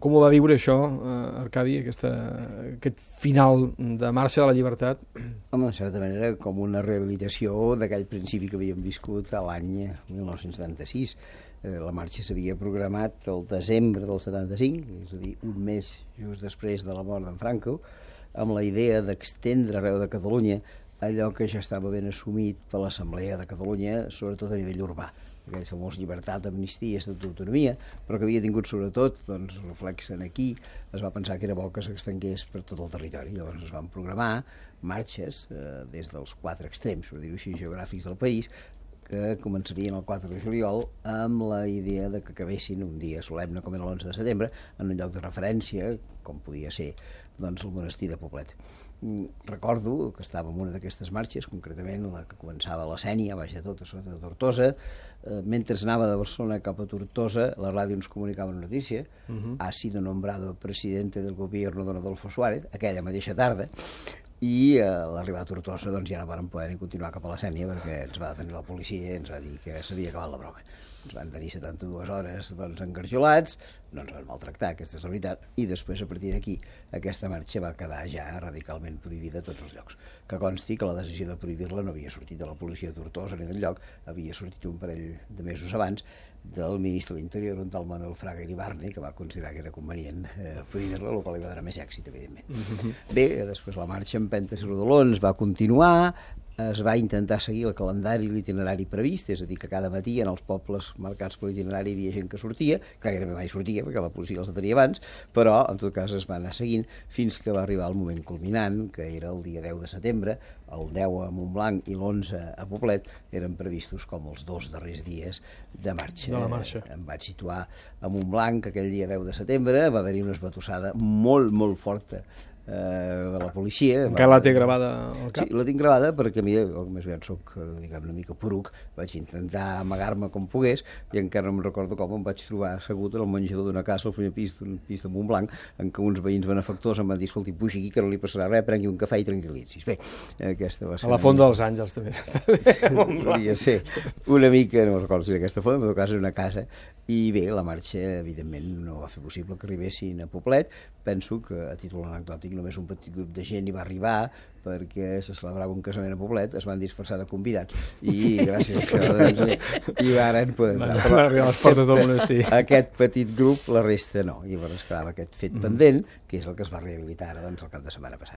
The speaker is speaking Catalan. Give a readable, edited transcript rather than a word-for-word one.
Com ho va viure això, Arcadi, aquest final de marxa de la llibertat? Home, en certa manera, com una rehabilitació d'aquell principi que havíem viscut a l'any 1976. La marxa s'havia programat el desembre del 75, és a dir, un mes just després de la mort d'en Franco, amb la idea d'extendre arreu de Catalunya allò que ja estava ben assumit per l'Assemblea de Catalunya, sobretot a nivell urbà. Aquell famós llibertat, amnistia, estatut d'autonomia, però que havia tingut sobretot, doncs, reflexen aquí, es va pensar que era bo que s'extengués per tot el territori. Llavors es van programar marxes des dels 4 extrems, per dir-ho així, geogràfics del país, que començarien el 4 de juliol amb la idea de que acabessin un dia solemne com era l'11 de setembre en un lloc de referència, com podia ser doncs, el monestir de Poblet. Recordo que estava en una d'aquestes marxes, concretament la que començava a la Sénia, baix de tot, a sota de Tortosa. Mentre anava de Barcelona cap a Tortosa, la ràdio ens comunicava una notícia: ha sido nombrado presidente del gobierno don Adolfo Suárez, aquella mateixa tarda, i a l'arribar a Tortosa doncs, ja no vàrem poder ni continuar cap a la Sénia perquè ens va detenir la policia i ens va dir que s'havia acabat la broma. Ens van tenir 72 hores doncs, engarjolats, no ens van maltractar, aquesta és la veritat, i després, a partir d'aquí, aquesta marxa va quedar ja radicalment prohibida a tots els llocs. Que consti que la decisió de prohibir-la no havia sortit de la policia de Tortosa ni del lloc, havia sortit un parell de mesos abans del ministre de l'Interior, un tal Manuel Fraga Iribarne, que va considerar que era convenient prohibir-la, el qual li va donar més èxit, evidentment. Bé, després la marxa en pentes i rodolons va continuar, es va intentar seguir el calendari i l'itinerari previst, és a dir, que cada matí en els pobles marcats per l'itinerari hi havia gent que sortia, que gairebé mai sortia perquè la policia els detenia abans, però en tot cas es va anar seguint fins que va arribar el moment culminant, que era el dia 10 de setembre, el 10 a Montblanc i l'11 a Poblet eren previstos com els 2 darrers dies de marxa. De la marxa. Em vaig situar a Montblanc aquell dia 10 de setembre, va haver-hi una esbatussada molt, molt forta de la policia. Encara la té gravada al cap? Sí, la tinc gravada perquè a mi, més aviat soc una mica poruc, vaig intentar amagar-me com pogués i encara no me'n recordo com em vaig trobar assegut en el menjador d'una casa al primer pis d'un pis de Montblanc, en què uns veïns benefactors em van dir: escolti, pugi aquí que no li passarà res, prengui un cafè i tranquil·litzis. Bé, aquesta va ser... A la Font dels Àngels també està bé. Podria ser una mica, no recordo si era aquesta font, però en tot cas era una casa. I bé, la marxa, evidentment, no va fer possible que arribessin a Poblet. Penso que, a títol anecdòtic, només un petit grup de gent hi va arribar perquè se celebrava un casament a Poblet, es van disfressar de convidats i gràcies a això doncs, hi varen poder entrar. Van arribar a les portes del monestir. Aquest petit grup, la resta no. I llavors quedava aquest fet pendent, que és el que es va rehabilitar ara doncs, el cap de setmana passat.